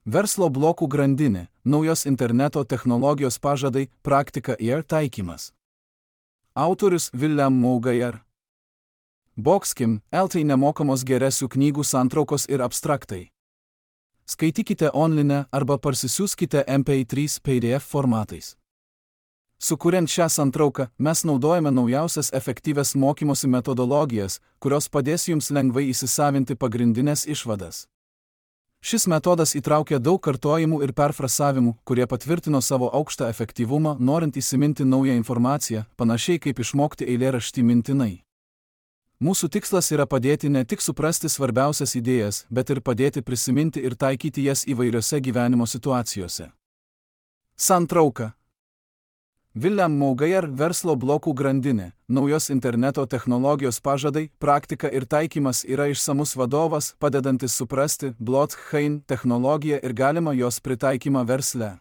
Verslo blokų grandinė, naujos interneto technologijos pažadai, praktika ir taikymas. Autorius William Mougayer. Boxkim, LT nemokamos geresių knygų santraukos ir abstraktai. Skaitykite online arba parsisiųskite MP3 PDF formatais. Sukuriant šią santrauką, mes naudojame naujausias efektyvias mokymosi metodologijas, kurios padės jums lengvai įsisavinti pagrindinės išvadas. Šis metodas įtraukia daug kartojimų ir perfrasavimų, kurie patvirtino savo aukštą efektyvumą, norint įsiminti naują informaciją, panašiai kaip išmokti eilėraštį mintinai. Mūsų tikslas yra padėti ne tik suprasti svarbiausias idėjas, bet ir padėti prisiminti ir taikyti jas įvairiose gyvenimo situacijose. Santrauka. William Mougayer verslo blokų grandinė, naujos interneto technologijos pažadai, praktika ir taikymas yra išsamus vadovas, padedantis suprasti blockchain technologiją ir galimą jos pritaikymą versle.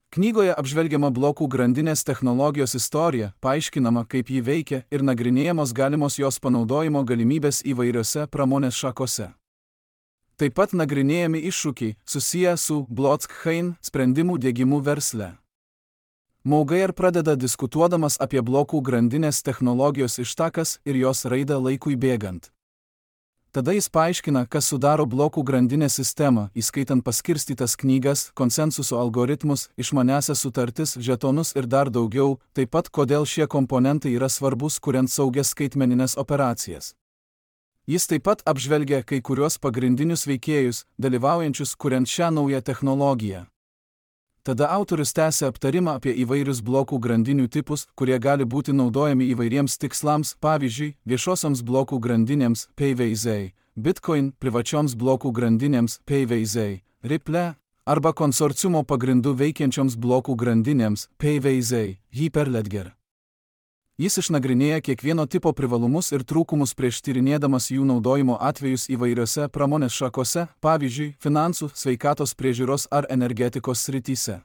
Knygoje apžvelgiama blokų grandinės technologijos istorija, paaiškinama, kaip ji veikia ir nagrinėjamos galimos jos panaudojimo galimybės įvairiose pramonės šakose. Taip pat nagrinėjami iššūkiai susiję su blockchain sprendimų diegimu versle. Mougayer pradeda diskutuodamas apie blokų grandinės technologijos ištakas ir jos raidą laikui bėgant. Tada jis paaiškina, kas sudaro blokų grandinės sistemą, įskaitant paskirstytas knygas, konsensuso algoritmus, išmaniąsias sutartis, žetonus ir dar daugiau, taip pat kodėl šie komponentai yra svarbus, kuriant saugias skaitmeninės operacijas. Jis taip pat apžvelgia kai kuriuos pagrindinius veikėjus, dalyvaujančius kuriant šią naują technologiją. Tada autorius tęsia aptarimą apie įvairius blokų grandinių tipus, kurie gali būti naudojami įvairiems tikslams, pavyzdžiui, viešosioms blokų grandinėms PVZ, Bitcoin, privačioms blokų grandinėms PVZ, Ripple, arba konsorciumo pagrindų veikiančioms blokų grandinėms PVZ, Hyperledger. Jis išnagrinėja kiekvieno tipo privalumus ir trūkumus prieš tyrinėdamas jų naudojimo atvejus įvairiose pramonės šakose, pavyzdžiui, finansų, sveikatos priežiūros ar energetikos srityse.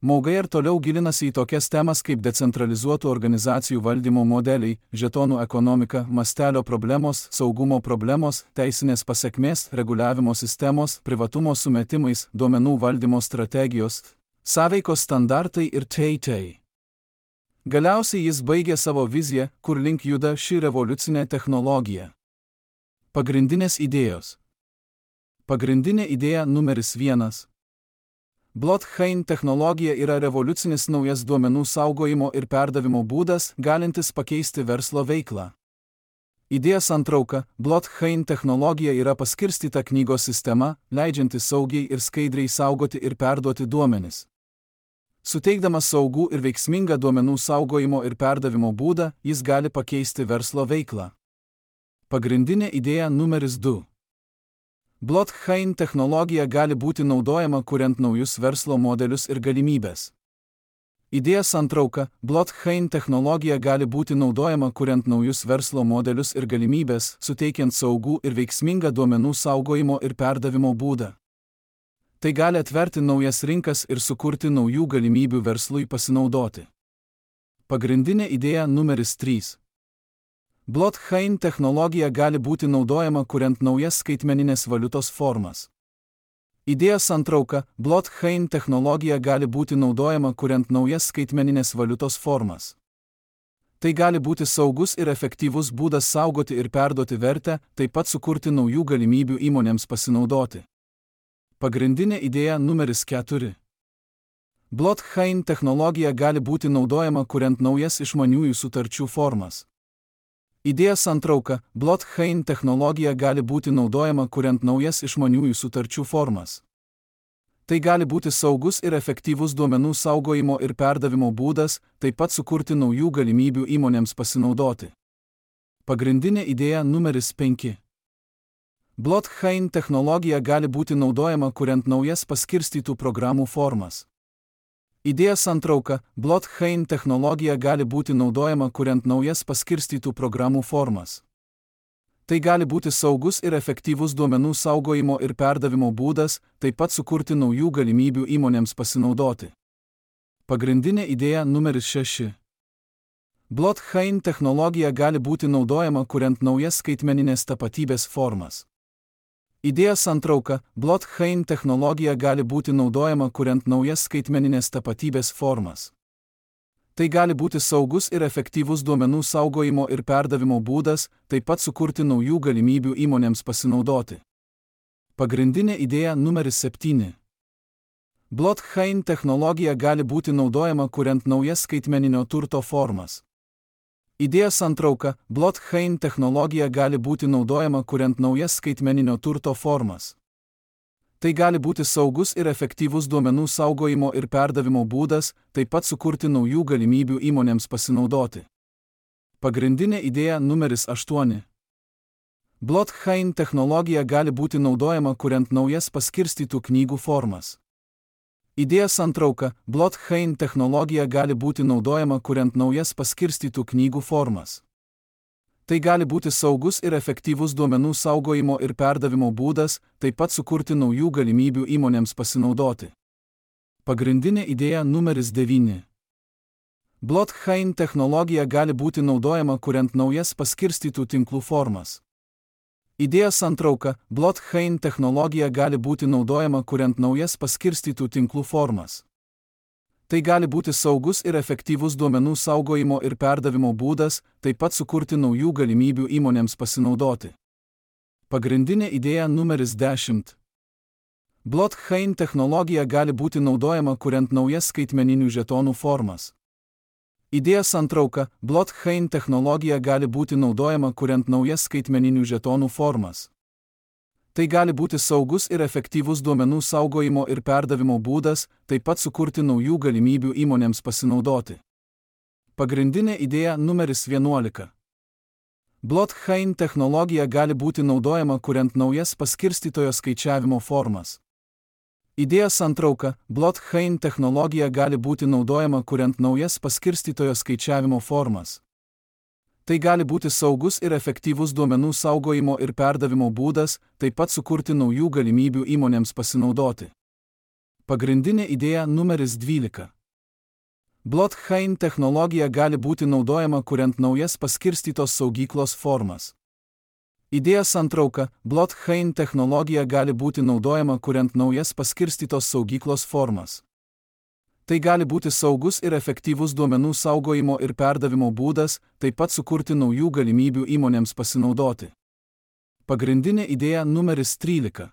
Mougayer toliau gilinasi į tokias temas kaip decentralizuotų organizacijų valdymo modeliai, žetonų ekonomika, mastelio problemos, saugumo problemos, teisinės pasekmės, reguliavimo sistemos, privatumo sumetimais, duomenų valdymo strategijos, sąveikos standartai ir t.t. Galiausiai jis baigė savo viziją, kur link juda ši revoliucinė technologija. Pagrindinės idėjos. Pagrindinė idėja numeris 1. Blockchain technologija yra revoliucinis naujas duomenų saugojimo ir perdavimo būdas, galintis pakeisti verslo veiklą. Idėja santrauka. Blockchain technologija yra paskirstyta knygos sistema, leidžianti saugiai ir skaidriai saugoti ir perduoti duomenis. Suteikdamas saugų ir veiksmingą duomenų saugojimo ir perdavimo būdą, jis gali pakeisti verslo veiklą. Pagrindinė idėja numeris 2. Blockchain technologija gali būti naudojama kuriant naujus verslo modelius ir galimybės. Idėja santrauka. Blockchain technologija gali būti naudojama kuriant naujus verslo modelius ir galimybės, suteikiant saugų ir veiksmingą duomenų saugojimo ir perdavimo būdą. Tai gali atverti naujas rinkas ir sukurti naujų galimybių verslui pasinaudoti. Pagrindinė idėja numeris 3. Blockchain technologija gali būti naudojama kuriant naujas skaitmeninės valiutos formas. Idėja santrauka. Blockchain technologija gali būti naudojama kuriant naujas skaitmeninės valiutos formas. Tai gali būti saugus ir efektyvus būdas saugoti ir perduoti vertę, taip pat sukurti naujų galimybių įmonėms pasinaudoti. Pagrindinė idėja numeris 4. Blockchain technologija gali būti naudojama kuriant naujas išmaniųjų sutarčių formas. Idėja santrauka. Blockchain technologija gali būti naudojama kuriant naujas išmaniųjų sutarčių formas. Tai gali būti saugus ir efektyvus duomenų saugojimo ir perdavimo būdas, taip pat sukurti naujų galimybių įmonėms pasinaudoti. Pagrindinė idėja numeris 5. Blockchain technologija gali būti naudojama kuriant naujas paskirstytų programų formas. Idėja santrauka. Blockchain technologija gali būti naudojama kuriant naujas paskirstytų programų formas. Tai gali būti saugus ir efektyvus duomenų saugojimo ir perdavimo būdas, taip pat sukurti naujų galimybių įmonėms pasinaudoti. Pagrindinė idėja numeris 6. Blockchain technologija gali būti naudojama kuriant naujas skaitmeninės tapatybės formas. Idėja santrauka: blockchain technologija gali būti naudojama kuriant naujas skaitmeninės tapatybės formas. Tai gali būti saugus ir efektyvus duomenų saugojimo ir perdavimo būdas, taip pat sukurti naujų galimybių įmonėms pasinaudoti. Pagrindinė idėja numeris 7. Blockchain technologija gali būti naudojama kuriant naujas skaitmeninio turto formas. Idėja santrauka: blockchain technologija gali būti naudojama kuriant naujas skaitmeninio turto formas. Tai gali būti saugus ir efektyvus duomenų saugojimo ir perdavimo būdas, taip pat sukurti naujų galimybių įmonėms pasinaudoti. Pagrindinė idėja numeris 8. Blockchain technologija gali būti naudojama kuriant naujas paskirstytų knygų formas. Idėja santrauka: blockchain technologija gali būti naudojama kuriant naujas paskirstytų knygų formas. Tai gali būti saugus ir efektyvus duomenų saugojimo ir perdavimo būdas, taip pat sukurti naujų galimybių įmonėms pasinaudoti. Pagrindinė idėja numeris 9. Blockchain technologija gali būti naudojama kuriant naujas paskirstytų tinklų formas. Idėja santrauka: blockchain technologija gali būti naudojama kuriant naujas paskirstytų tinklų formas. Tai gali būti saugus ir efektyvus duomenų saugojimo ir perdavimo būdas, taip pat sukurti naujų galimybių įmonėms pasinaudoti. Pagrindinė idėja numeris 10. Blockchain technologija gali būti naudojama kuriant naujas skaitmeninių žetonų formas. Idėja santrauka: blockchain technologija gali būti naudojama kuriant naujas skaitmeninių žetonų formas. Tai gali būti saugus ir efektyvus duomenų saugojimo ir perdavimo būdas, taip pat sukurti naujų galimybių įmonėms pasinaudoti. Pagrindinė idėja numeris 11. Blockchain technologija gali būti naudojama kuriant naujas paskirstytojo skaičiavimo formas. Idėja santrauka: blockchain technologija gali būti naudojama kuriant naujas paskirstytojo skaičiavimo formas. Tai gali būti saugus ir efektyvus duomenų saugojimo ir perdavimo būdas, taip pat sukurti naujų galimybių įmonėms pasinaudoti. Pagrindinė idėja numeris 12. Blockchain technologija gali būti naudojama kuriant naujas paskirstytos saugyklos formas. Idėja santrauka: blockchain technologija gali būti naudojama kuriant naujas paskirstytos saugyklos formas. Tai gali būti saugus ir efektyvus duomenų saugojimo ir perdavimo būdas, taip pat sukurti naujų galimybių įmonėms pasinaudoti. Pagrindinė idėja numeris 13.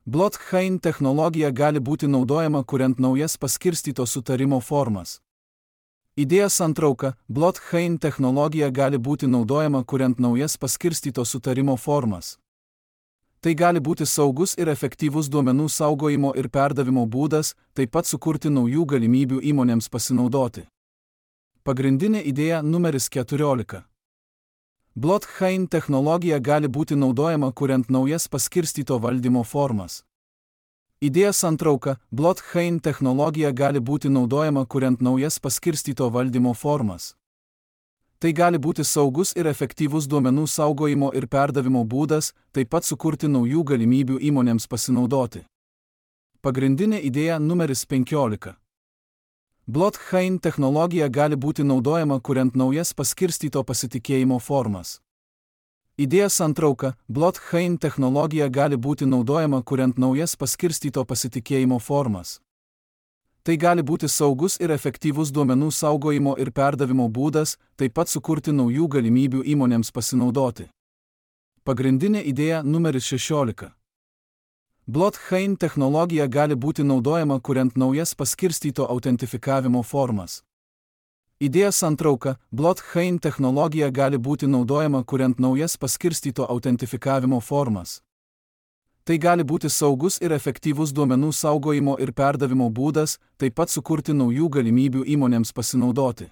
Blockchain technologija gali būti naudojama kuriant naujas paskirstyto sutarimo formas. Idėja santrauka: blockchain technologija gali būti naudojama kuriant naujas paskirstyto sutarimo formas. Tai gali būti saugus ir efektyvus duomenų saugojimo ir perdavimo būdas, taip pat sukurti naujų galimybių įmonėms pasinaudoti. Pagrindinė idėja numeris 14. Blockchain technologija gali būti naudojama kuriant naujas paskirstyto valdymo formas. Idėja santrauka: blockchain technologija gali būti naudojama kuriant naujas paskirstyto valdymo formas. Tai gali būti saugus ir efektyvus duomenų saugojimo ir perdavimo būdas, taip pat sukurti naujų galimybių įmonėms pasinaudoti. Pagrindinė idėja numeris 15. Blockchain technologija gali būti naudojama kuriant naujas paskirstyto pasitikėjimo formas. Idėja santrauka: blockchain technologija gali būti naudojama kuriant naujas paskirstyto pasitikėjimo formas. Tai gali būti saugus ir efektyvus duomenų saugojimo ir perdavimo būdas, taip pat sukurti naujų galimybių įmonėms pasinaudoti. Pagrindinė idėja numeris 16. Blockchain technologija gali būti naudojama kuriant naujas paskirstyto autentifikavimo formas. Idėja santrauka: blockchain technologija gali būti naudojama kuriant naujas paskirstyto autentifikavimo formas. Tai gali būti saugus ir efektyvus duomenų saugojimo ir perdavimo būdas, taip pat sukurti naujų galimybių įmonėms pasinaudoti.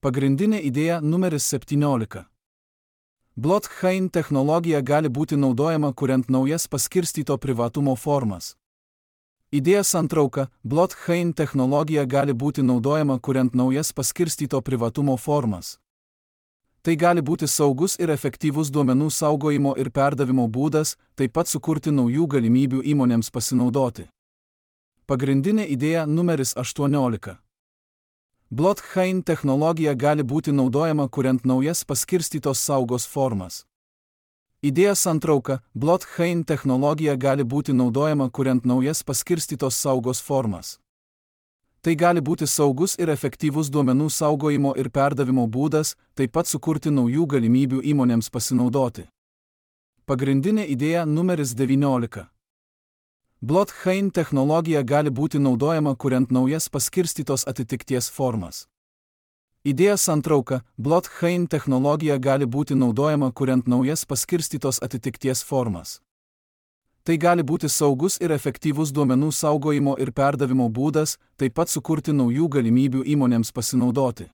Pagrindinė idėja numeris 17. Blockchain technologija gali būti naudojama kuriant naujas paskirstyto privatumo formas. Idėja santrauka: blockchain technologija gali būti naudojama kuriant naujas paskirstyto privatumo formas. Tai gali būti saugus ir efektyvus duomenų saugojimo ir perdavimo būdas, taip pat sukurti naujų galimybių įmonėms pasinaudoti. Pagrindinė idėja numeris 18. Blockchain technologija gali būti naudojama kuriant naujas paskirstytos saugos formas. Idėjos santrauka – blockchain technologija gali būti naudojama kuriant naujas paskirstytos saugos formas. Tai gali būti saugus ir efektyvus duomenų saugojimo ir perdavimo būdas, taip pat sukurti naujų galimybių įmonėms pasinaudoti. Pagrindinė idėja numeris 19. Blockchain technologija gali būti naudojama kuriant naujas paskirstytos atitikties formas. Idėjos santrauka – blockchain technologija gali būti naudojama kuriant naujas paskirstytos atitikties formas. Tai gali būti saugus ir efektyvus duomenų saugojimo ir perdavimo būdas, taip pat sukurti naujų galimybių įmonėms pasinaudoti.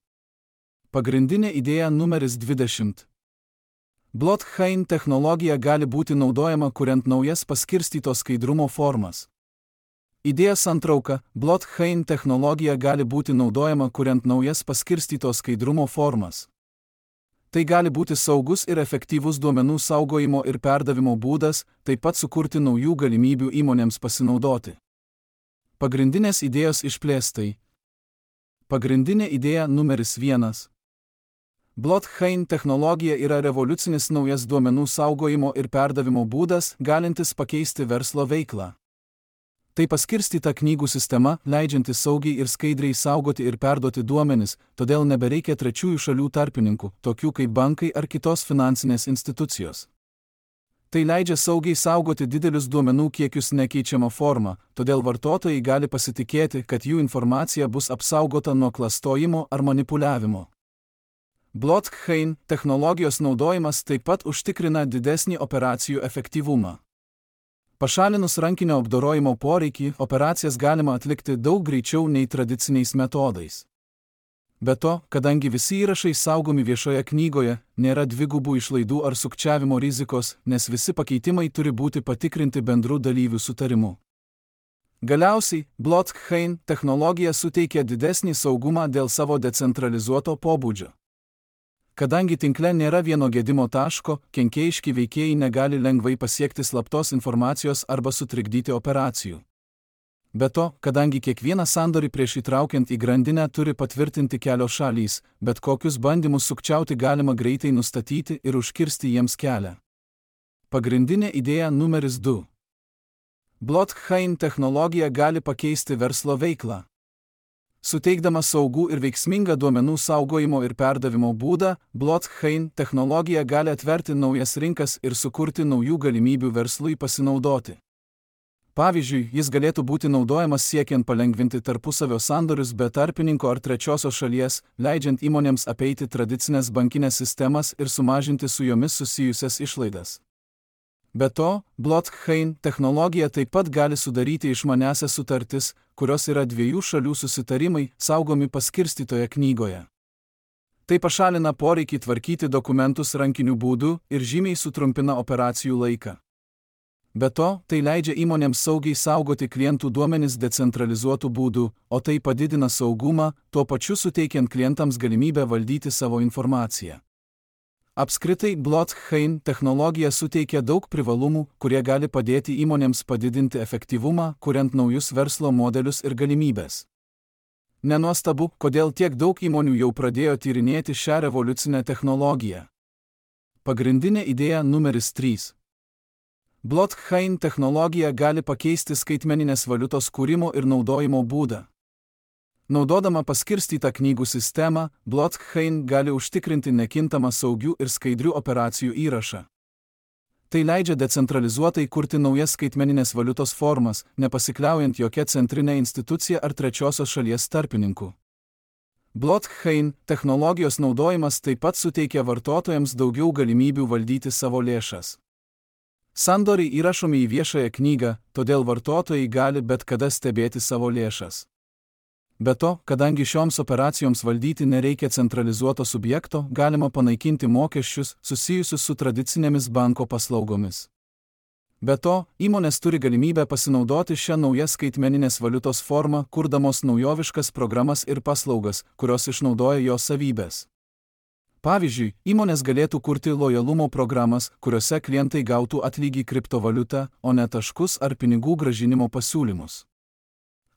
Pagrindinė idėja numeris 20. Blockchain technologija gali būti naudojama kuriant naujas paskirstytos skaidrumo formas. Idėjos santrauka – blockchain technologija gali būti naudojama kuriant naujas paskirstytos skaidrumo formas. Tai gali būti saugus ir efektyvus duomenų saugojimo ir perdavimo būdas, taip pat sukurti naujų galimybių įmonėms pasinaudoti. Pagrindinės idėjos išplėstai. Pagrindinė idėja numeris 1. Blockchain technologija yra revoliucinis naujas duomenų saugojimo ir perdavimo būdas, galintis pakeisti verslo veiklą. Tai paskirstyta knygų sistema, leidžianti saugiai ir skaidriai saugoti ir perduoti duomenis, todėl nebereikia trečiųjų šalių tarpininkų, tokių kaip bankai ar kitos finansinės institucijos. Tai leidžia saugiai saugoti didelius duomenų kiekius nekeičiamą formą, todėl vartotojai gali pasitikėti, kad jų informacija bus apsaugota nuo klastojimo ar manipuliavimo. Blockchain technologijos naudojimas taip pat užtikrina didesnį operacijų efektyvumą. Pašalinus rankinio apdorojimo poreikį, operacijas galima atlikti daug greičiau nei tradiciniais metodais. Be to, kadangi visi įrašai saugomi viešoje knygoje, nėra dvigubų išlaidų ar sukčiavimo rizikos, nes visi pakeitimai turi būti patikrinti bendrų dalyvių sutarimu. Galiausiai, blockchain technologija suteikia didesnį saugumą dėl savo decentralizuoto pobūdžio. Kadangi tinkle nėra vieno gedimo taško, kenkėjiški veikėjai negali lengvai pasiekti slaptos informacijos arba sutrikdyti operacijų. Be to, kadangi kiekvieną sandorį prieš įtraukiant į grandinę turi patvirtinti kelios šalys, bet kokius bandymus sukčiauti galima greitai nustatyti ir užkirsti jiems kelią. Pagrindinė idėja numeris 2. Blockchain technologija gali pakeisti verslo veiklą. Suteikdama saugų ir veiksmingą duomenų saugojimo ir perdavimo būdą, blockchain technologija gali atverti naujas rinkas ir sukurti naujų galimybių verslui pasinaudoti. Pavyzdžiui, jis galėtų būti naudojamas siekiant palengvinti tarpusavio sandorius be tarpininko ar trečiosios šalies, leidžiant įmonėms apeiti tradicinės bankinės sistemas ir sumažinti su jomis susijusias išlaidas. Be to, blockchain technologija taip pat gali sudaryti išmaniąsias sutartis, kurios yra dviejų šalių susitarimai, saugomi paskirstytoje knygoje. Tai pašalina poreikį tvarkyti dokumentus rankiniu būdu ir žymiai sutrumpina operacijų laiką. Be to, tai leidžia įmonėms saugiai saugoti klientų duomenis decentralizuotų būdų, o tai padidina saugumą, tuo pačiu suteikiant klientams galimybę valdyti savo informaciją. Apskritai, blockchain technologija suteikia daug privalumų, kurie gali padėti įmonėms padidinti efektyvumą, kuriant naujus verslo modelius ir galimybės. Nenuostabu, kodėl tiek daug įmonių jau pradėjo tyrinėti šią revoliucinę technologiją. Pagrindinė idėja numeris 3. Blockchain technologija gali pakeisti skaitmeninės valiutos kūrimo ir naudojimo būdą. Naudodama paskirstytą knygų sistemą, blockchain gali užtikrinti nekintamą saugių ir skaidrių operacijų įrašą. Tai leidžia decentralizuotai kurti naujas skaitmeninės valiutos formas, nepasikliaujant jokia centrinė institucija ar trečiosios šalies tarpininkų. Blockchain technologijos naudojimas taip pat suteikia vartotojams daugiau galimybių valdyti savo lėšas. Sandoriai įrašomi į viešąją knygą, todėl vartotojai gali bet kada stebėti savo lėšas. Be to, kadangi šioms operacijoms valdyti nereikia centralizuoto subjekto, galima panaikinti mokesčius susijusius su tradicinėmis banko paslaugomis. Be to, įmonės turi galimybę pasinaudoti šią naują skaitmeninės valiutos formą, kurdamos naujoviškas programas ir paslaugas, kurios išnaudoja jos savybės. Pavyzdžiui, įmonės galėtų kurti lojalumo programas, kuriuose klientai gautų atlygį kriptovaliutą, o ne taškus ar pinigų grąžinimo pasiūlymus.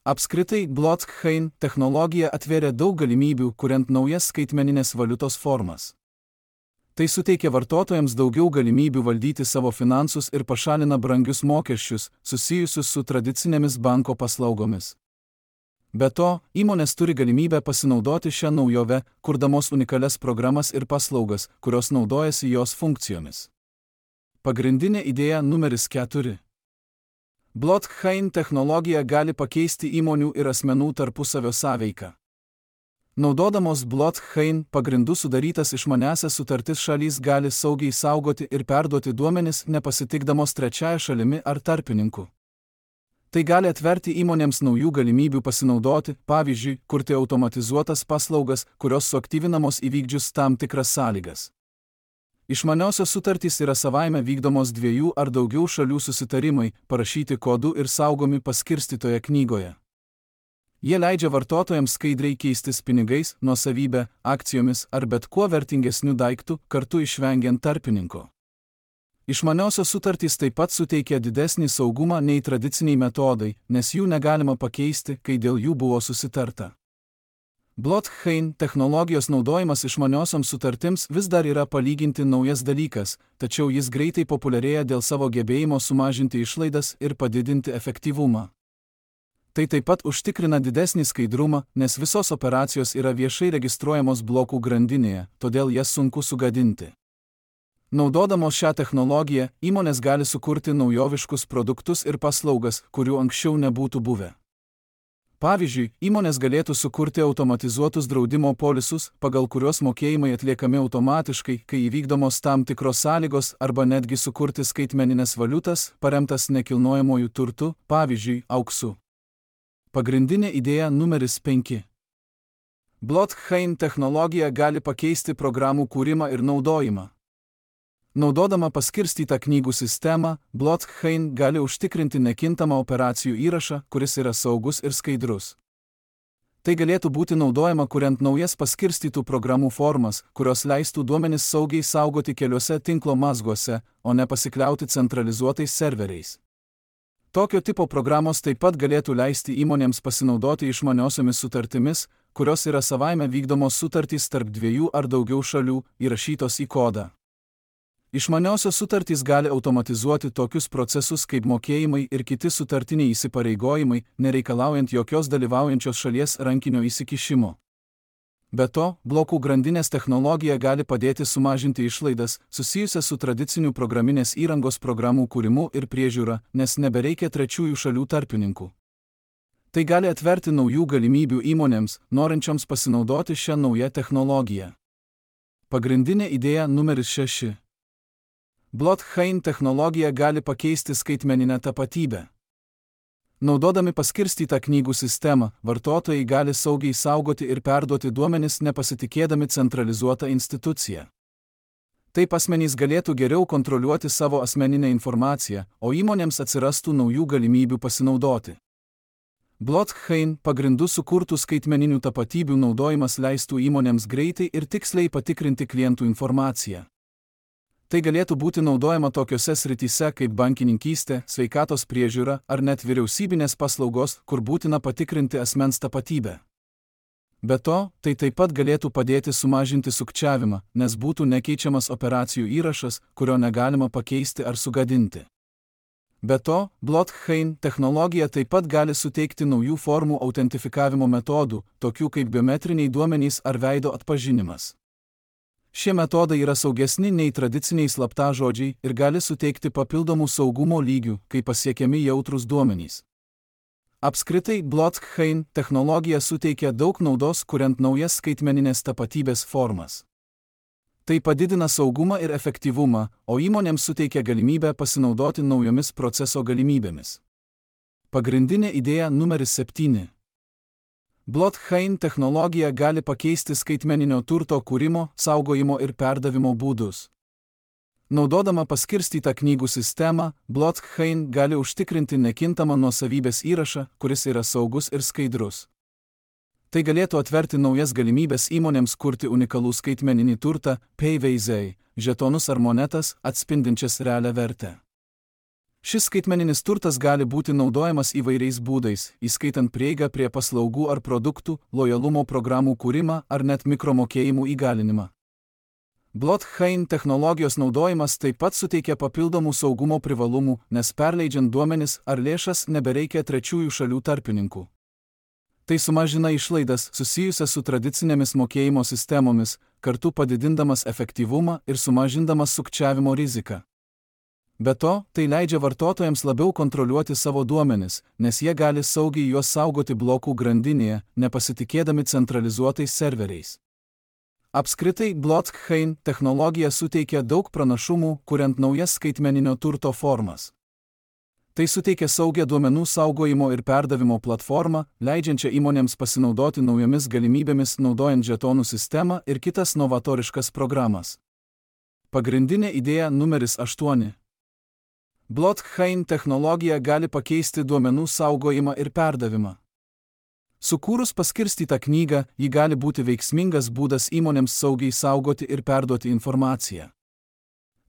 Apskritai, blockchain technologija atvėrė daug galimybių, kuriant naujas skaitmeninės valiutos formas. Tai suteikia vartotojams daugiau galimybių valdyti savo finansus ir pašalina brangius mokesčius, susijusius su tradicinėmis banko paslaugomis. Be to, įmonės turi galimybę pasinaudoti šią naujovę, kurdamos unikalias programas ir paslaugas, kurios naudojasi jos funkcijomis. Pagrindinė idėja numeris 4. Blockchain technologija gali pakeisti įmonių ir asmenų tarpusavio sąveiką. Naudodamos blockchain pagrindų sudarytas išmaniąsias sutartis šalys gali saugiai saugoti ir perduoti duomenis nepasitikdamos trečiąja šalimi ar tarpininku. Tai gali atverti įmonėms naujų galimybių pasinaudoti, pavyzdžiui, kurti automatizuotas paslaugas, kurios suaktyvinamos įvykdžius tam tikras sąlygas. Išmaniosios sutartys yra savaime vykdomos dviejų ar daugiau šalių susitarimai, parašyti kodu ir saugomi paskirstytoje knygoje. Jie leidžia vartotojams skaidriai keistis pinigais, nuosavybę, akcijomis ar bet kuo vertingesniu daiktu, kartu išvengiant tarpininko. Išmaniosios sutartys taip pat suteikia didesnį saugumą nei tradiciniai metodai, nes jų negalima pakeisti, kai dėl jų buvo susitarta. Blockchain technologijos naudojimas išmaniosioms sutartims vis dar yra palyginti naujas dalykas, tačiau jis greitai populiarėja dėl savo gebėjimo sumažinti išlaidas ir padidinti efektyvumą. Tai taip pat užtikrina didesnį skaidrumą, nes visos operacijos yra viešai registruojamos blokų grandinėje, todėl jas sunku sugadinti. Naudodamos šią technologiją, įmonės gali sukurti naujoviškus produktus ir paslaugas, kurių anksčiau nebūtų buvę. Pavyzdžiui, įmonės galėtų sukurti automatizuotus draudimo polisus, pagal kuriuos mokėjimai atliekami automatiškai, kai įvykdomos tam tikros sąlygos, arba netgi sukurti skaitmeninės valiutas, paremtas nekilnojamojų turtu, pavyzdžiui, auksu. Pagrindinė idėja numeris 5. Blockchain technologija gali pakeisti programų kūrimą ir naudojimą. Naudodama paskirstytą knygų sistemą, blockchain gali užtikrinti nekintamą operacijų įrašą, kuris yra saugus ir skaidrus. Tai galėtų būti naudojama kuriant naujas paskirstytų programų formas, kurios leistų duomenis saugiai saugoti keliuose tinklo mazguose, o ne pasikliauti centralizuotais serveriais. Tokio tipo programos taip pat galėtų leisti įmonėms pasinaudoti išmaniosiomis sutartimis, kurios yra savaime vykdomos sutartys tarp dviejų ar daugiau šalių, įrašytos į kodą. Išmaniosios sutartys gali automatizuoti tokius procesus kaip mokėjimai ir kiti sutartiniai įsipareigojimai, nereikalaujant jokios dalyvaujančios šalies rankinio įsikišimo. Be to, blokų grandinės technologija gali padėti sumažinti išlaidas, susijusias su tradicinių programinės įrangos programų kūrimu ir priežiūra, nes nebereikia trečiųjų šalių tarpininkų. Tai gali atverti naujų galimybių įmonėms, norinčioms pasinaudoti šią naują technologiją. Pagrindinė idėja numeris 6. Blockchain technologija gali pakeisti skaitmeninę tapatybę. Naudodami paskirstytą knygų sistemą, vartotojai gali saugiai saugoti ir perduoti duomenis nepasitikėdami centralizuotą instituciją. Taip asmenys galėtų geriau kontroliuoti savo asmeninę informaciją, o įmonėms atsirastų naujų galimybių pasinaudoti. Blockchain pagrindų sukurtų skaitmeninių tapatybių naudojimas leistų įmonėms greitai ir tiksliai patikrinti klientų informaciją. Tai galėtų būti naudojama tokiose srityse kaip bankininkystė, sveikatos priežiūra ar net vyriausybinės paslaugos, kur būtina patikrinti asmens tapatybę. Be to, tai taip pat galėtų padėti sumažinti sukčiavimą, nes būtų nekeičiamas operacijų įrašas, kurio negalima pakeisti ar sugadinti. Be to, blockchain technologija taip pat gali suteikti naujų formų autentifikavimo metodų, tokių kaip biometriniai duomenys ar veido atpažinimas. Šie metodai yra saugesni nei tradiciniai slaptažodžiai ir gali suteikti papildomų saugumo lygių, kai pasiekiami jautrūs duomenys. Apskritai, blockchain technologija suteikia daug naudos, kuriant naujas skaitmeninės tapatybės formas. Tai padidina saugumą ir efektyvumą, o įmonėms suteikia galimybę pasinaudoti naujomis proceso galimybėmis. Pagrindinė idėja numeris 7. Blockchain technologija gali pakeisti skaitmeninio turto kūrimo, saugojimo ir perdavimo būdus. Naudodama paskirstytą knygų sistemą, blockchain gali užtikrinti nekintamą nuosavybės įrašą, kuris yra saugus ir skaidrus. Tai galėtų atverti naujas galimybės įmonėms kurti unikalų skaitmeninį turtą, PayVaizai, žetonus ar monetas, atspindinčias realią vertę. Šis skaitmeninis turtas gali būti naudojamas įvairiais būdais, įskaitant prieigą prie paslaugų ar produktų, lojalumo programų kūrimą ar net mikromokėjimų įgalinimą. Blockchain technologijos naudojimas taip pat suteikia papildomų saugumo privalumų, nes perleidžiant duomenis ar lėšas nebereikia trečiųjų šalių tarpininkų. Tai sumažina išlaidas susijusias su tradicinėmis mokėjimo sistemomis, kartu padidindamas efektyvumą ir sumažindamas sukčiavimo riziką. Be to, tai leidžia vartotojams labiau kontroliuoti savo duomenis, nes jie gali saugiai juos saugoti blokų grandinėje, nepasitikėdami centralizuotais serveriais. Apskritai, blockchain technologija suteikia daug pranašumų, kuriant naujas skaitmeninio turto formas. Tai suteikia saugią duomenų saugojimo ir perdavimo platformą, leidžiančią įmonėms pasinaudoti naujomis galimybėmis naudojant žetonų sistemą ir kitas novatoriškas programas. Pagrindinė idėja numeris 8. Blockchain technologija gali pakeisti duomenų saugojimą ir perdavimą. Sukūrus paskirstytą knygą, ji gali būti veiksmingas būdas įmonėms saugiai saugoti ir perduoti informaciją.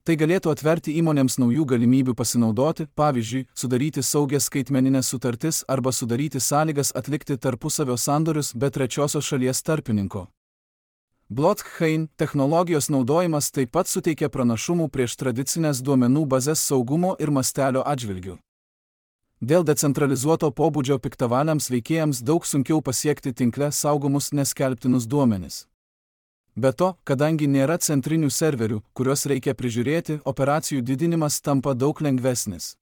Tai galėtų atverti įmonėms naujų galimybių pasinaudoti, pavyzdžiui, sudaryti saugias skaitmeninės sutartis arba sudaryti sąlygas atlikti tarpusavio sandorius be trečiosios šalies tarpininko. Blockchain technologijos naudojimas taip pat suteikia pranašumų prieš tradicinės duomenų bazės saugumo ir mastelio atžvilgių. Dėl decentralizuoto pobūdžio piktavaliams veikėjams daug sunkiau pasiekti tinkle saugomus neskelbtinus duomenis. Be to, kadangi nėra centrinių serverių, kuriuos reikia prižiūrėti, operacijų didinimas tampa daug lengvesnis.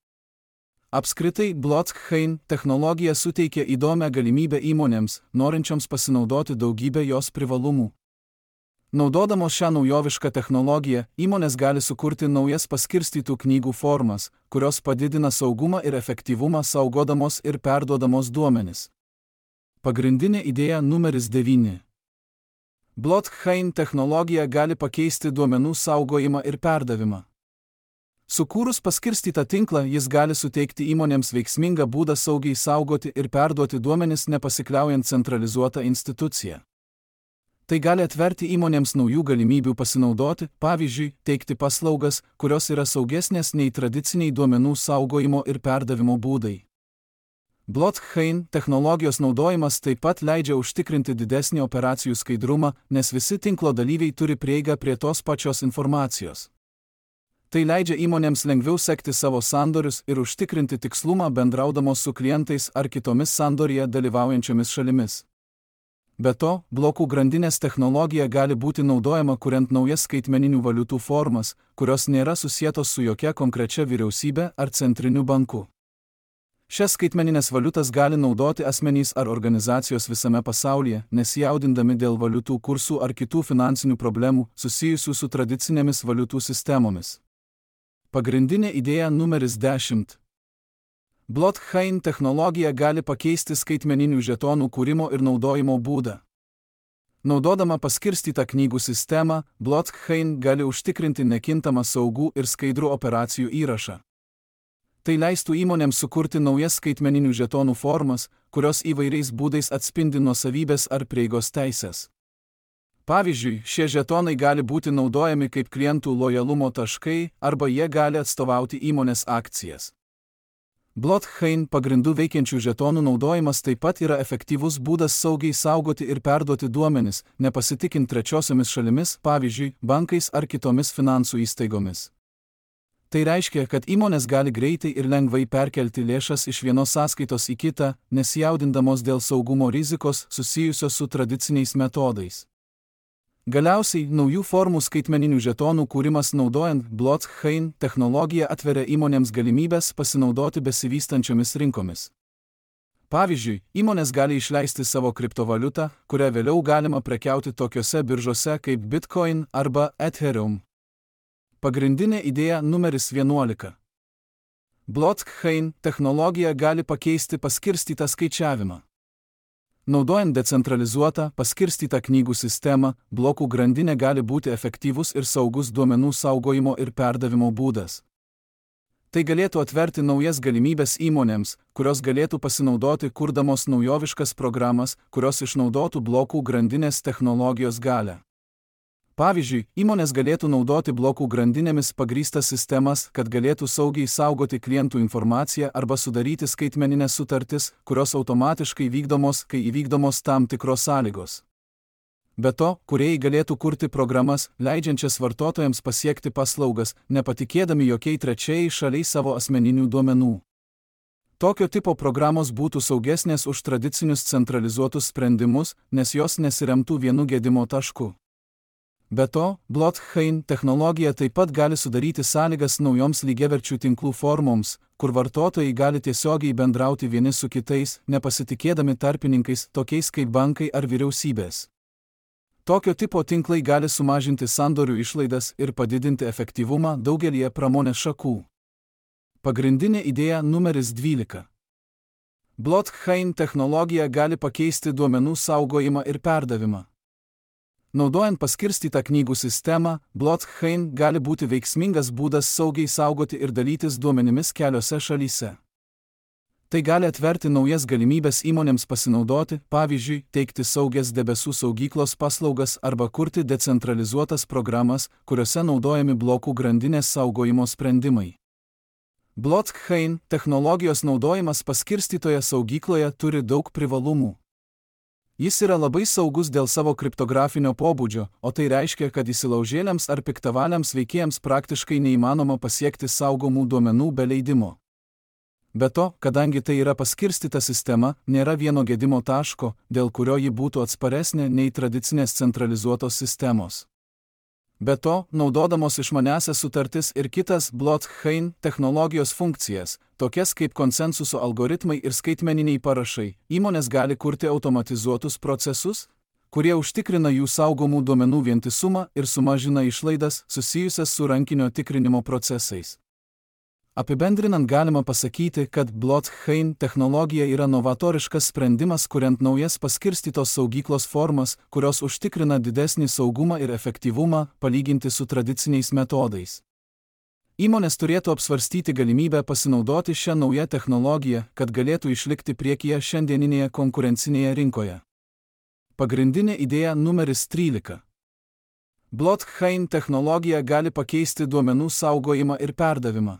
Apskritai, blockchain technologija suteikia įdomią galimybę įmonėms, norinčioms pasinaudoti daugybę jos privalumų. Naudodamos šią naujovišką technologiją, įmonės gali sukurti naujas paskirstytų knygų formas, kurios padidina saugumą ir efektyvumą saugodamos ir perduodamos duomenis. Pagrindinė idėja numeris 9. Blockchain technologija gali pakeisti duomenų saugojimą ir perdavimą. Sukūrus paskirstytą tinklą, jis gali suteikti įmonėms veiksmingą būdą saugiai saugoti ir perduoti duomenis nepasikliaujant centralizuotą instituciją. Tai gali atverti įmonėms naujų galimybių pasinaudoti, pavyzdžiui, teikti paslaugas, kurios yra saugesnės nei tradiciniai duomenų saugojimo ir perdavimo būdai. Blockchain technologijos naudojimas taip pat leidžia užtikrinti didesnį operacijų skaidrumą, nes visi tinklo dalyviai turi prieigą prie tos pačios informacijos. Tai leidžia įmonėms lengviau sekti savo sandorius ir užtikrinti tikslumą bendraudamos su klientais ar kitomis sandorėje dalyvaujančiomis šalimis. Be to, blokų grandinės technologija gali būti naudojama kuriant naujas skaitmeninių valiutų formas, kurios nėra susietos su jokia konkrečia vyriausybe ar centriniu banku. Šias skaitmeninės valiutas gali naudoti asmenys ar organizacijos visame pasaulyje, nesijaudindami dėl valiutų kursų ar kitų finansinių problemų susijusių su tradicinėmis valiutų sistemomis. Pagrindinė idėja numeris 10. Blockchain technologija gali pakeisti skaitmeninių žetonų kūrimo ir naudojimo būdą. Naudodama paskirstytą knygų sistemą, blockchain gali užtikrinti nekintamą saugų ir skaidrų operacijų įrašą. Tai leistų įmonėms sukurti naujas skaitmeninių žetonų formas, kurios įvairiais būdais atspindi nuosavybės ar prieigos teisės. Pavyzdžiui, šie žetonai gali būti naudojami kaip klientų lojalumo taškai arba jie gali atstovauti įmonės akcijas. Blockchain pagrindų veikiančių žetonų naudojimas taip pat yra efektyvus būdas saugiai saugoti ir perduoti duomenis, nepasitikint trečiosiomis šalimis, pavyzdžiui, bankais ar kitomis finansų įstaigomis. Tai reiškia, kad įmonės gali greitai ir lengvai perkelti lėšas iš vienos sąskaitos į kitą, nesijaudindamos dėl saugumo rizikos susijusios su tradiciniais metodais. Galiausiai, naujų formų skaitmeninių žetonų kūrimas naudojant blockchain technologiją atveria įmonėms galimybės pasinaudoti besivystančiomis rinkomis. Pavyzdžiui, įmonės gali išleisti savo kriptovaliutą, kurią vėliau galima prekiauti tokiose biržose kaip Bitcoin arba Ethereum. Pagrindinė idėja numeris 11. Blockchain technologija gali pakeisti paskirstytą skaičiavimą. Naudojant decentralizuotą, paskirstytą knygų sistemą, blokų grandinė gali būti efektyvus ir saugus duomenų saugojimo ir perdavimo būdas. Tai galėtų atverti naujas galimybės įmonėms, kurios galėtų pasinaudoti kurdamos naujoviškas programas, kurios išnaudotų blokų grandinės technologijos galią. Pavyzdžiui, įmonės galėtų naudoti blokų grandinėmis pagrįstas sistemas, kad galėtų saugiai saugoti klientų informaciją arba sudaryti skaitmeninės sutartis, kurios automatiškai vykdomos, kai įvykdomos tam tikros sąlygos. Be to, kūrėjai galėtų kurti programas, leidžiančias vartotojams pasiekti paslaugas, nepatikėdami jokiai trečiai šaliai savo asmeninių duomenų. Tokio tipo programos būtų saugesnės už tradicinius centralizuotus sprendimus, nes jos nesiremtų vienu gedimo tašku. Be to, blockchain technologija taip pat gali sudaryti sąlygas naujoms lygiaverčių tinklų formoms, kur vartotojai gali tiesiogiai bendrauti vieni su kitais, nepasitikėdami tarpininkais, tokiais kaip bankai ar vyriausybės. Tokio tipo tinklai gali sumažinti sandorių išlaidas ir padidinti efektyvumą daugelyje pramonės šakų. Pagrindinė idėja numeris 12. Blockchain technologija gali pakeisti duomenų saugojimą ir perdavimą. Naudojant paskirstytą knygų sistemą, blockchain gali būti veiksmingas būdas saugiai saugoti ir dalytis duomenimis keliose šalyse. Tai gali atverti naujas galimybės įmonėms pasinaudoti, pavyzdžiui, teikti saugias debesų saugyklos paslaugas arba kurti decentralizuotas programas, kuriuose naudojami blokų grandinės saugojimo sprendimai. Blockchain technologijos naudojimas paskirstytoje saugykloje turi daug privalumų. Jis yra labai saugus dėl savo kriptografinio pobūdžio, o tai reiškia, kad įsilaužėliams ar piktavaliams veikėjams praktiškai neįmanoma pasiekti saugomų duomenų be leidimo. Be to, kadangi tai yra paskirstyta sistema, nėra vieno gedimo taško, dėl kurio ji būtų atsparesnė nei tradicinės centralizuotos sistemos. Be to, naudodamos išmaniąsias sutartis ir kitas blockchain technologijos funkcijas, tokias kaip konsensuso algoritmai ir skaitmeniniai parašai, įmonės gali kurti automatizuotus procesus, kurie užtikrina jų saugomų duomenų vientisumą ir sumažina išlaidas susijusias su rankinio tikrinimo procesais. Apibendrinant galima pasakyti, kad blockchain technologija yra novatoriškas sprendimas, kuriant naujas paskirstytos saugyklos formas, kurios užtikrina didesnį saugumą ir efektyvumą, palyginti su tradiciniais metodais. Įmonės turėtų apsvarstyti galimybę pasinaudoti šią naują technologiją, kad galėtų išlikti priekyje šiandieninėje konkurencinėje rinkoje. Pagrindinė idėja numeris 13. Blockchain technologija gali pakeisti duomenų saugojimą ir perdavimą.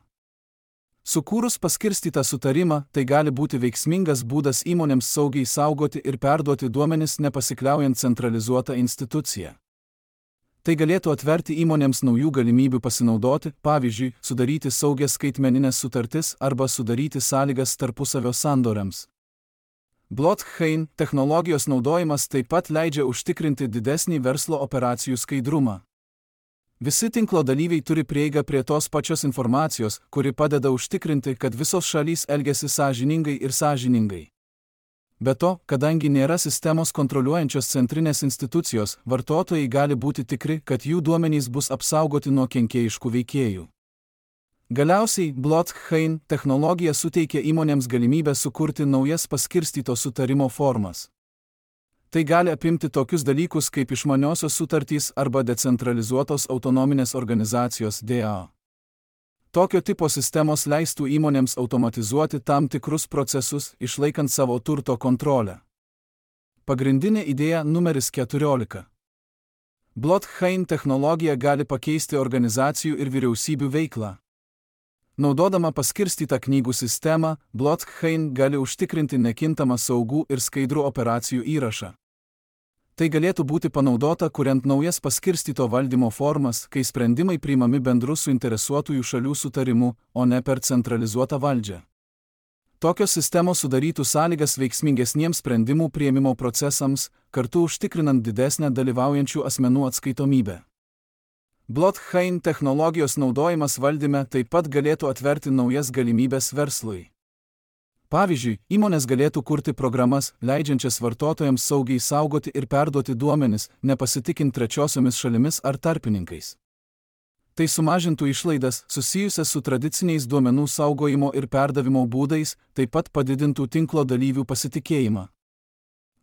Sukūrus paskirstytą sutarimą, tai gali būti veiksmingas būdas įmonėms saugiai saugoti ir perduoti duomenis nepasikliaujant centralizuotą instituciją. Tai galėtų atverti įmonėms naujų galimybių pasinaudoti, pavyzdžiui, sudaryti saugias skaitmeninės sutartis arba sudaryti sąlygas tarpusavio sandoriams. Blockchain technologijos naudojimas taip pat leidžia užtikrinti didesnį verslo operacijų skaidrumą. Visi tinklo dalyviai turi prieigą prie tos pačios informacijos, kuri padeda užtikrinti, kad visos šalys elgiasi sąžiningai ir sąžiningai. Be to, kadangi nėra sistemos kontroliuojančios centrinės institucijos, vartotojai gali būti tikri, kad jų duomenys bus apsaugoti nuo kenkėjiškų veikėjų. Galiausiai, blockchain technologija suteikia įmonėms galimybę sukurti naujas paskirstyto sutarimo formas. Tai gali apimti tokius dalykus kaip išmaniosios sutartys arba decentralizuotos autonominės organizacijos DAO. Tokio tipo sistemos leistų įmonėms automatizuoti tam tikrus procesus, išlaikant savo turto kontrolę. Pagrindinė idėja numeris 14. Blockchain technologija gali pakeisti organizacijų ir vyriausybių veiklą. Naudodama paskirstytą knygų sistemą, blockchain gali užtikrinti nekintamą saugų ir skaidrų operacijų įrašą. Tai galėtų būti panaudota, kuriant naujas paskirstyto valdymo formas, kai sprendimai priimami bendru suinteresuotųjų šalių sutarimu, o ne per centralizuotą valdžią. Tokios sistemos sudarytų sąlygas veiksmingesniems sprendimų priėmimo procesams, kartu užtikrinant didesnę dalyvaujančių asmenų atskaitomybę. Blockchain technologijos naudojimas valdyme taip pat galėtų atverti naujas galimybės verslui. Pavyzdžiui, įmonės galėtų kurti programas, leidžiančias vartotojams saugiai saugoti ir perduoti duomenis, nepasitikint trečiosiomis šalimis ar tarpininkais. Tai sumažintų išlaidas susijusias su tradiciniais duomenų saugojimo ir perdavimo būdais, taip pat padidintų tinklo dalyvių pasitikėjimą.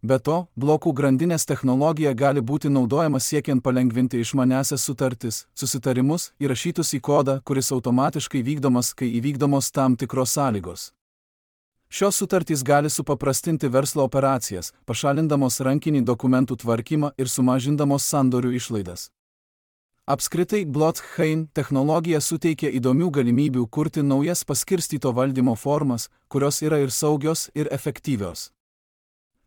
Be to, blokų grandinės technologija gali būti naudojama siekiant palengvinti išmaniąsias sutartis, susitarimus, įrašytus į kodą, kuris automatiškai vykdomas, kai įvykdomos tam tikros sąlygos. Šios sutartys gali supaprastinti verslo operacijas, pašalindamos rankinį dokumentų tvarkymą ir sumažindamos sandorių išlaidas. Apskritai, blockchain technologija suteikia įdomių galimybių kurti naujas paskirstyto valdymo formas, kurios yra ir saugios, ir efektyvios.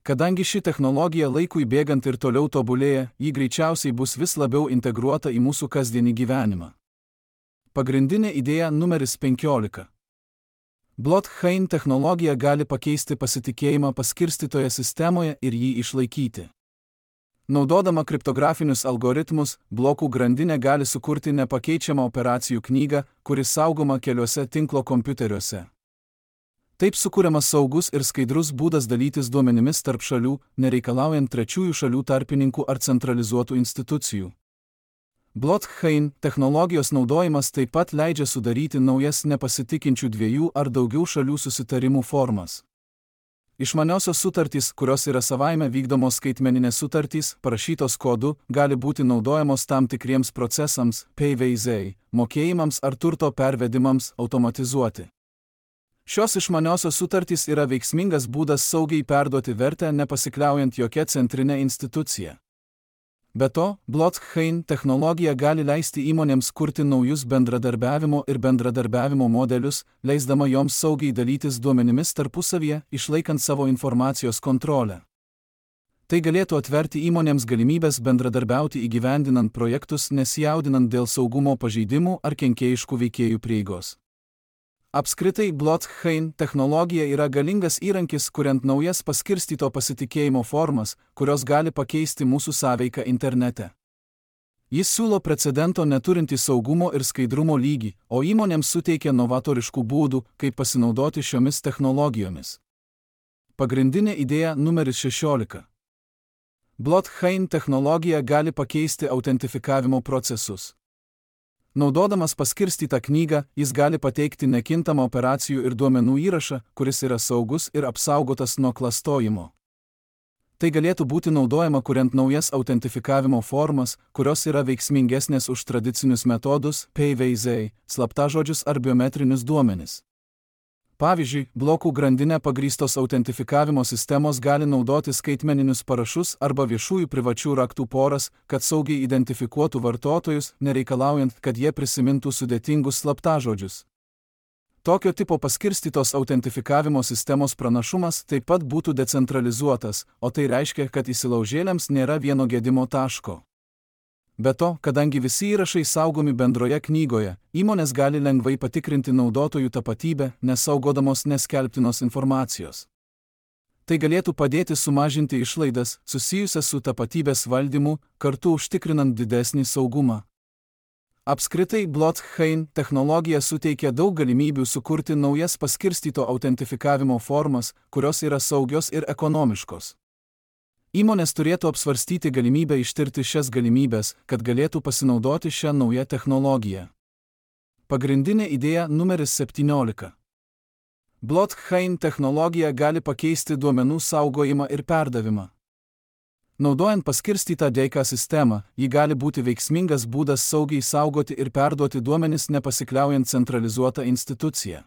Kadangi ši technologija laikui bėgant ir toliau tobulėja, ji greičiausiai bus vis labiau integruota į mūsų kasdienį gyvenimą. Pagrindinė idėja numeris 15. Blockchain technologija gali pakeisti pasitikėjimą paskirstytoje sistemoje ir jį išlaikyti. Naudodama kriptografinius algoritmus, blokų grandinė gali sukurti nepakeičiamą operacijų knygą, kuri saugoma keliuose tinklo kompiuteriuose. Taip sukuriamas saugus ir skaidrus būdas dalytis duomenimis tarp šalių, nereikalaujant trečiųjų šalių tarpininkų ar centralizuotų institucijų. Blockchain technologijos naudojimas taip pat leidžia sudaryti naujas nepasitikinčių dviejų ar daugiau šalių susitarimų formas. Išmaniosios sutartys, kurios yra savaime vykdomos skaitmeninės sutartys, parašytos kodu, gali būti naudojamos tam tikriems procesams, PVZ, mokėjimams ar turto pervedimams automatizuoti. Šios išmaniosios sutartys yra veiksmingas būdas saugiai perduoti vertę nepasikliaujant jokia centrinė institucija. Be to, blockchain technologija gali leisti įmonėms kurti naujus bendradarbiavimo modelius, leisdama joms saugiai dalytis duomenimis tarpusavyje, išlaikant savo informacijos kontrolę. Tai galėtų atverti įmonėms galimybės bendradarbiauti įgyvendinant projektus, nesijaudinant dėl saugumo pažeidimų ar kenkėjiškų veikėjų prieigos. Apskritai, blockchain technologija yra galingas įrankis, kuriant naujas paskirstyto pasitikėjimo formas, kurios gali pakeisti mūsų sąveiką internete. Jis siūlo precedento neturintį saugumo ir skaidrumo lygį, o įmonėms suteikia novatoriškų būdų, kaip pasinaudoti šiomis technologijomis. Pagrindinė idėja numeris 16. Blockchain technologija gali pakeisti autentifikavimo procesus. Naudodamas paskirstytą knygą, jis gali pateikti nekintamą operacijų ir duomenų įrašą, kuris yra saugus ir apsaugotas nuo klastojimo. Tai galėtų būti naudojama kuriant naujas autentifikavimo formas, kurios yra veiksmingesnės už tradicinius metodus, PVZ, slaptažodžius ar biometrinius duomenis. Pavyzdžiui, blokų grandinę pagrįstos autentifikavimo sistemos gali naudoti skaitmeninius parašus arba viešųjų privačių raktų poras, kad saugiai identifikuotų vartotojus, nereikalaujant, kad jie prisimintų sudėtingus slaptažodžius. Tokio tipo paskirstytos autentifikavimo sistemos pranašumas taip pat būtų decentralizuotas, o tai reiškia, kad įsilaužėliams nėra vieno gedimo taško. Be to, kadangi visi įrašai saugomi bendroje knygoje, įmonės gali lengvai patikrinti naudotojų tapatybę, nesaugodamos neskelbtinos informacijos. Tai galėtų padėti sumažinti išlaidas susijusias su tapatybės valdymu, kartu užtikrinant didesnį saugumą. Apskritai, blockchain technologija suteikia daug galimybių sukurti naujas paskirstyto autentifikavimo formas, kurios yra saugios ir ekonomiškos. Įmonės turėtų apsvarstyti galimybę ištirti šias galimybės, kad galėtų pasinaudoti šią naują technologiją. Pagrindinė idėja numeris 17. Blockchain technologija gali pakeisti duomenų saugojimą ir perdavimą. Naudojant paskirstytą dėka sistemą, ji gali būti veiksmingas būdas saugiai saugoti ir perduoti duomenis nepasikliaujant centralizuotą instituciją.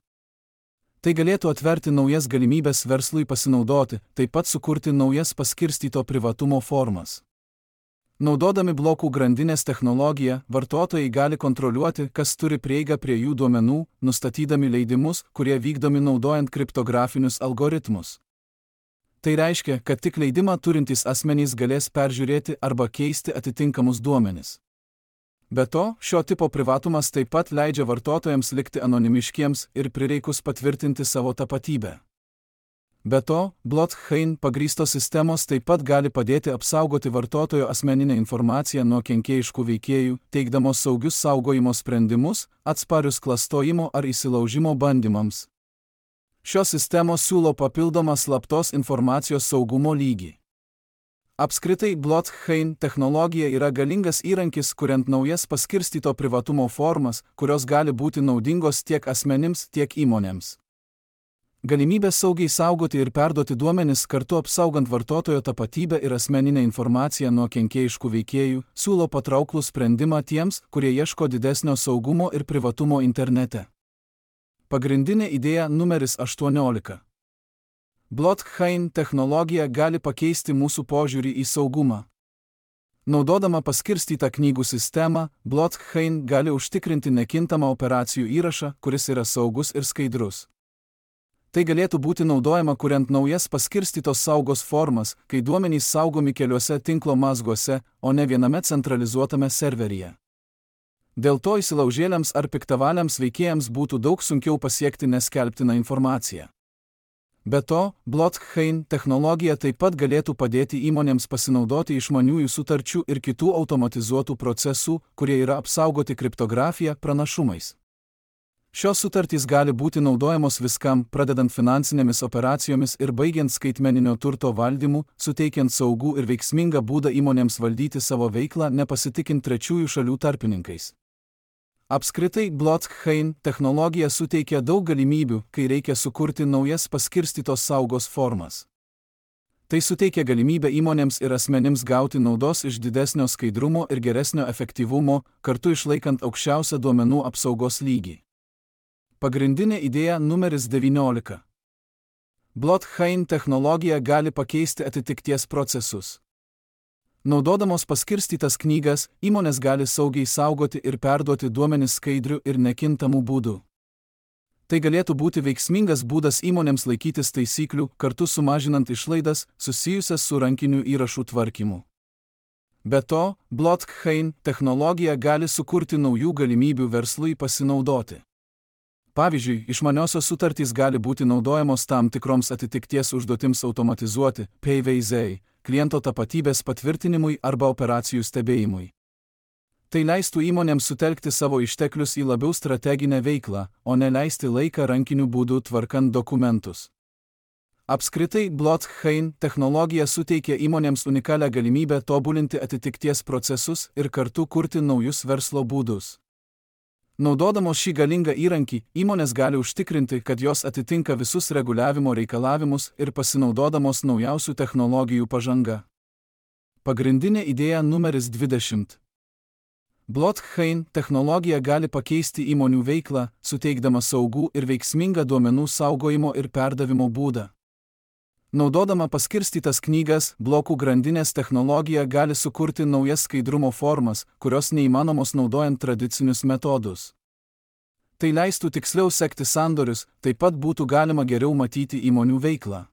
Tai galėtų atverti naujas galimybės verslui pasinaudoti, taip pat sukurti naujas paskirstyto privatumo formas. Naudodami blokų grandinės technologiją, vartotojai gali kontroliuoti, kas turi prieigą prie jų duomenų, nustatydami leidimus, kurie vykdomi naudojant kriptografinius algoritmus. Tai reiškia, kad tik leidimą turintys asmenys galės peržiūrėti arba keisti atitinkamus duomenis. Be to, šio tipo privatumas taip pat leidžia vartotojams likti anonimiškiems ir prireikus patvirtinti savo tapatybę. Be to, blockchain pagrįstos sistemos taip pat gali padėti apsaugoti vartotojo asmeninę informaciją nuo kenkėjiškų veikėjų, teikdamos saugius saugojimo sprendimus, atsparius klastojimo ar įsilaužimo bandymams. Šios sistemos siūlo papildomą slaptos informacijos saugumo lygį. Apskritai, blockchain technologija yra galingas įrankis, kuriant naujas paskirstyto privatumo formas, kurios gali būti naudingos tiek asmenims, tiek įmonėms. Galimybė saugiai saugoti ir perduoti duomenis kartu apsaugant vartotojo tapatybę ir asmeninę informaciją nuo kenkėjiškų veikėjų siūlo patrauklų sprendimą tiems, kurie ieško didesnio saugumo ir privatumo internete. Pagrindinė idėja numeris 18. Blockchain technologija gali pakeisti mūsų požiūrį į saugumą. Naudodama paskirstytą knygų sistemą, blockchain gali užtikrinti nekintamą operacijų įrašą, kuris yra saugus ir skaidrus. Tai galėtų būti naudojama kuriant naujas paskirstytos saugos formas, kai duomenys saugomi keliuose tinklo mazguose, o ne viename centralizuotame serveryje. Dėl to įsilaužėliams ar piktavaliams veikėjams būtų daug sunkiau pasiekti neskelbtiną informaciją. Be to, blockchain technologija taip pat galėtų padėti įmonėms pasinaudoti išmaniųjų sutarčių ir kitų automatizuotų procesų, kurie yra apsaugoti kriptografija, pranašumais. Šios sutartys gali būti naudojamos viskam, pradedant finansinėmis operacijomis ir baigiant skaitmeninio turto valdymu, suteikiant saugų ir veiksmingą būdą įmonėms valdyti savo veiklą, nepasitikint trečiųjų šalių tarpininkais. Apskritai, blockchain technologija suteikia daug galimybių, kai reikia sukurti naujas paskirstytos saugos formas. Tai suteikia galimybę įmonėms ir asmenims gauti naudos iš didesnio skaidrumo ir geresnio efektyvumo, kartu išlaikant aukščiausią duomenų apsaugos lygį. Pagrindinė idėja numeris 19. Blockchain technologija gali pakeisti atitikties procesus. Naudodamos paskirstytas knygas, įmonės gali saugiai saugoti ir perduoti duomenis skaidriu ir nekintamu būdu. Tai galėtų būti veiksmingas būdas įmonėms laikytis taisyklių, kartu sumažinant išlaidas susijusias su rankinių įrašų tvarkymu. Be to, blockchain technologija gali sukurti naujų galimybių verslui pasinaudoti. Pavyzdžiui, išmaniosios sutartys gali būti naudojamos tam tikroms atitikties užduotims automatizuoti, PVZ, kliento tapatybės patvirtinimui arba operacijų stebėjimui. Tai leistų įmonėms sutelkti savo išteklius į labiau strateginę veiklą, o ne leisti laiką rankiniu būdu tvarkant dokumentus. Apskritai, blockchain technologija suteikia įmonėms unikalią galimybę tobulinti atitikties procesus ir kartu kurti naujus verslo būdus. Naudodamos šį galingą įrankį, įmonės gali užtikrinti, kad jos atitinka visus reguliavimo reikalavimus ir pasinaudodamos naujausių technologijų pažanga. Pagrindinė idėja numeris 20. Blockchain technologija gali pakeisti įmonių veiklą, suteikdama saugų ir veiksmingą duomenų saugojimo ir perdavimo būdą. Naudodama paskirstytas knygas, blokų grandinės technologija gali sukurti naujas skaidrumo formas, kurios neįmanomos naudojant tradicinius metodus. Tai leistų tiksliau sekti sandorius, taip pat būtų galima geriau matyti įmonių veiklą.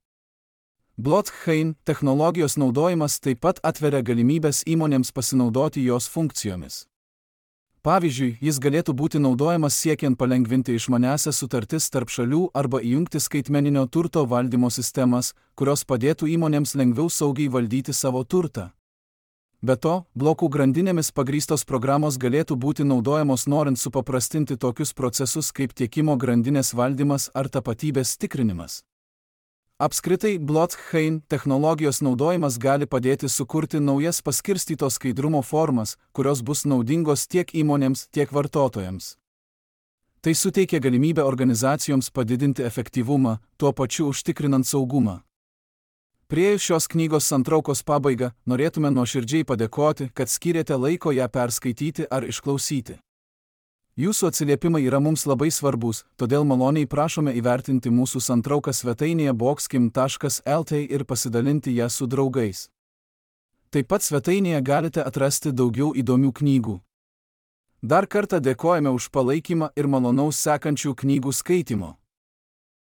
Blockchain technologijos naudojimas taip pat atveria galimybės įmonėms pasinaudoti jos funkcijomis. Pavyzdžiui, jis galėtų būti naudojamas siekiant palengvinti išmaniąsias sutartis tarp šalių arba įjungti skaitmeninio turto valdymo sistemas, kurios padėtų įmonėms lengviau saugiai valdyti savo turtą. Be to, blokų grandinėmis pagrįstos programos galėtų būti naudojamos norint supaprastinti tokius procesus kaip tiekimo grandinės valdymas ar tapatybės tikrinimas. Apskritai, blockchain technologijos naudojimas gali padėti sukurti naujas paskirstytos skaidrumo formas, kurios bus naudingos tiek įmonėms, tiek vartotojams. Tai suteikia galimybę organizacijoms padidinti efektyvumą, tuo pačiu užtikrinant saugumą. Priėjus šios knygos santraukos pabaigą, norėtume nuoširdžiai padėkoti, kad skyrėte laiko ją perskaityti ar išklausyti. Jūsų atsiliepimai yra mums labai svarbus, todėl maloniai prašome įvertinti mūsų santrauką svetainėje boxkim.lt ir pasidalinti ją su draugais. Taip pat svetainėje galite atrasti daugiau įdomių knygų. Dar kartą dėkojame už palaikymą ir malonaus sekančių knygų skaitimo.